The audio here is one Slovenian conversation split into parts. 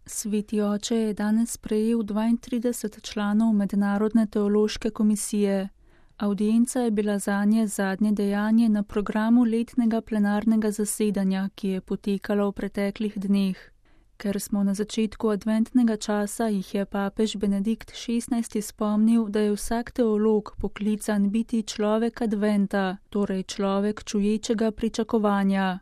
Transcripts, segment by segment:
Sveti oče je danes sprejel 32 članov Mednarodne teološke komisije. Avdienca je bila zanje zadnje dejanje na programu letnega plenarnega zasedanja, ki je potekalo v preteklih dneh. Ker smo na začetku adventnega časa, jih je papež Benedikt XVI spomnil, da je vsak teolog poklican biti človek adventa, torej človek čuječega pričakovanja.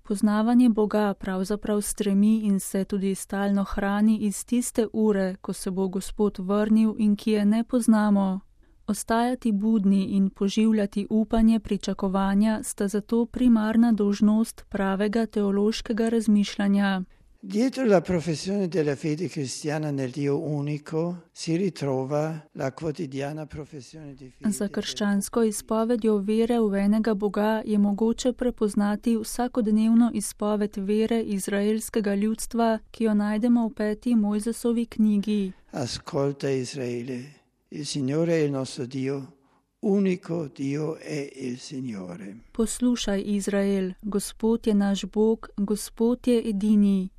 Poznavanje Boga pravzaprav stremi in se tudi stalno hrani iz tiste ure, ko se bo Gospod vrnil in ki je ne poznamo. Ostajati budni in poživljati upanje pričakovanja sta zato primarna dolžnost pravega teološkega razmišljanja. Dietro la professione della fede cristiana nel Dio unico si ritrova la quotidiana professione di fede. Za krščansko izpovedjo vere v enega Boga je mogoče prepoznati vsakodnevno izpoved vere izraelskega ljudstva, ki jo najdemo v 5. Mojzesovi knjigi. Ascolta Israele, il Signore è il nostro Dio, unico Dio è il Signore. Poslušaj, Izrael, Gospod je naš Bog, Gospod je edini.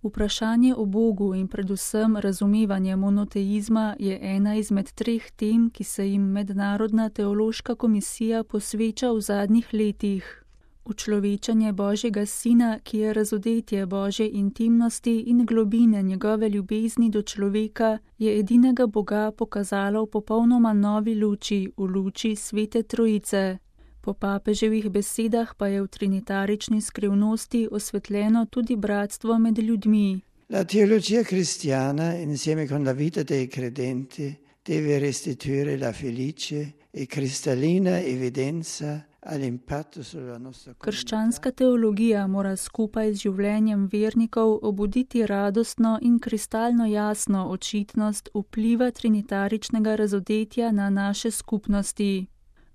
Vprašanje o Bogu in predvsem razumevanje monoteizma je ena izmed 3 tem, ki se jim Mednarodna teološka komisija posveča v zadnjih letih. Učlovečanje Božjega Sina, ki je razodetje Božje intimnosti in globine njegove ljubezni do človeka, je edinega Boga pokazalo v popolnoma novi luči, v luči Svete Trojice. Po papeževih besedah pa je v trinitarični skrivnosti osvetljeno tudi bratstvo med ljudmi. La teologia cristiana, insieme con la vita dei credenti, deve restituire la felice e cristallina evidenza all'impatto sulla nostra comunità. Krščanska teologija mora skupaj z življenjem vernikov obuditi radostno in kristalno jasno očitnost vpliva trinitaričnega razodetja na naše skupnosti.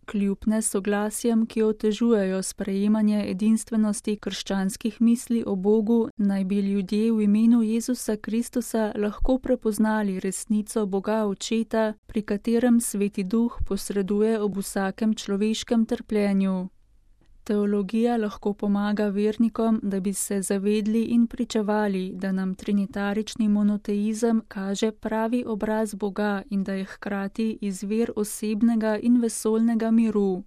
Kljub nesoglasjem, ki otežujejo sprejemanje edinstvenosti krščanskih misli o Bogu, naj bi ljudje v imenu Jezusa Kristusa lahko prepoznali resnico Boga Očeta, pri katerem Sveti Duh posreduje ob vsakem človeškem trpljenju. Teologija lahko pomaga vernikom, da bi se zavedli in pričevali, da nam trinitarični monoteizem kaže pravi obraz Boga in da je hkrati izvir osebnega in vesoljnega miru.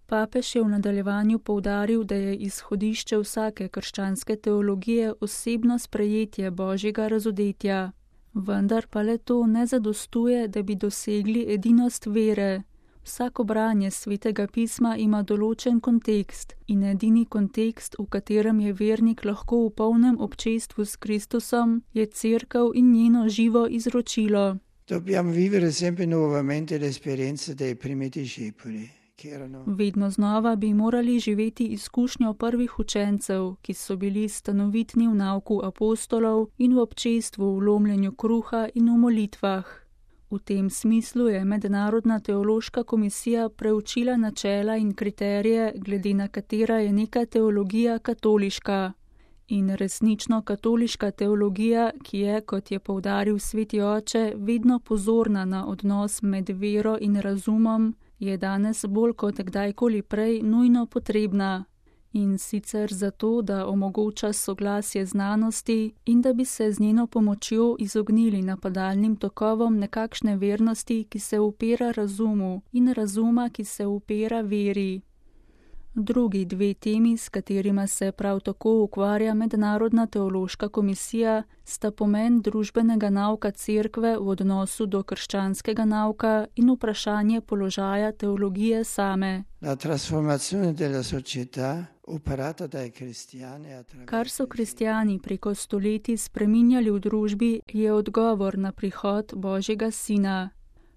Papež je v nadaljevanju poudaril, da je izhodišče vsake krščanske teologije osebno sprejetje Božjega razodetja. Vendar pa le to ne zadostuje, da bi dosegli edinost vere. Vsako branje Svetega pisma ima določen kontekst in edini kontekst, v katerem je vernik lahko v polnem občestvu s Kristusom, je Cerkev in njeno živo izročilo. Dobbiamo vivere sempre nuovamente l'esperienza dei primi discepoli. Vedno znova bi morali živeti izkušnjo prvih učencev, ki so bili stanovitni v nauku apostolov in v občestvu v lomljenju kruha in v molitvah. V tem smislu je Mednarodna teološka komisija preučila načela in kriterije, glede na katera je neka teologija katoliška. In resnično katoliška teologija, ki je, kot je poudaril Sveti oče, vedno pozorna na odnos med vero in razumom, je danes bolj kot kdajkoli prej nujno potrebna. In sicer zato, da omogoča soglasje znanosti in da bi se z njeno pomočjo izognili napadalnim tokovom nekakšne vernosti, ki se upira razumu, in razuma, ki se upira veri. Drugi 2 temi, s katerima se prav tako ukvarja Mednarodna teološka komisija, sta pomen družbenega nauka Cerkve v odnosu do krščanskega nauka in vprašanje položaja teologije same. La trasformazione della società operata dai cristiani attraverso. Kar so kristjani preko stoletij spreminjali v družbi, je odgovor na prihod Božjega Sina.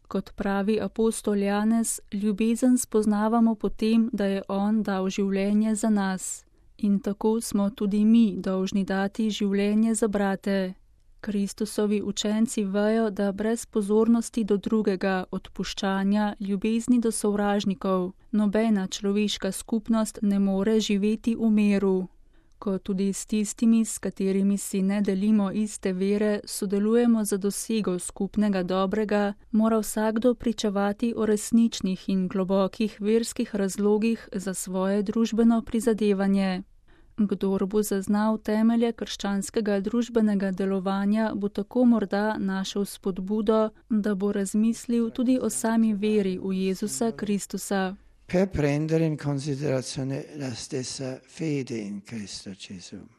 Kot pravi apostol Janez, ljubezen spoznavamo po tem, da je on dal življenje za nas. In tako smo tudi mi dolžni dati življenje za brate. Kristusovi učenci vejo, da brez pozornosti do drugega, odpuščanja, ljubezni do sovražnikov, nobena človeška skupnost ne more živeti v miru. Ko tudi s tistimi, s katerimi si ne delimo iste vere, sodelujemo za dosego skupnega dobrega, mora vsakdo pričevati o resničnih in globokih verskih razlogih za svoje družbeno prizadevanje. Kdor bo zaznal temelje krščanskega družbenega delovanja, bo tako morda našel spodbudo, da bo razmislil tudi o sami veri v Jezusa Kristusa. Per prendere in considerazione la stessa fede in Cristo Gesù.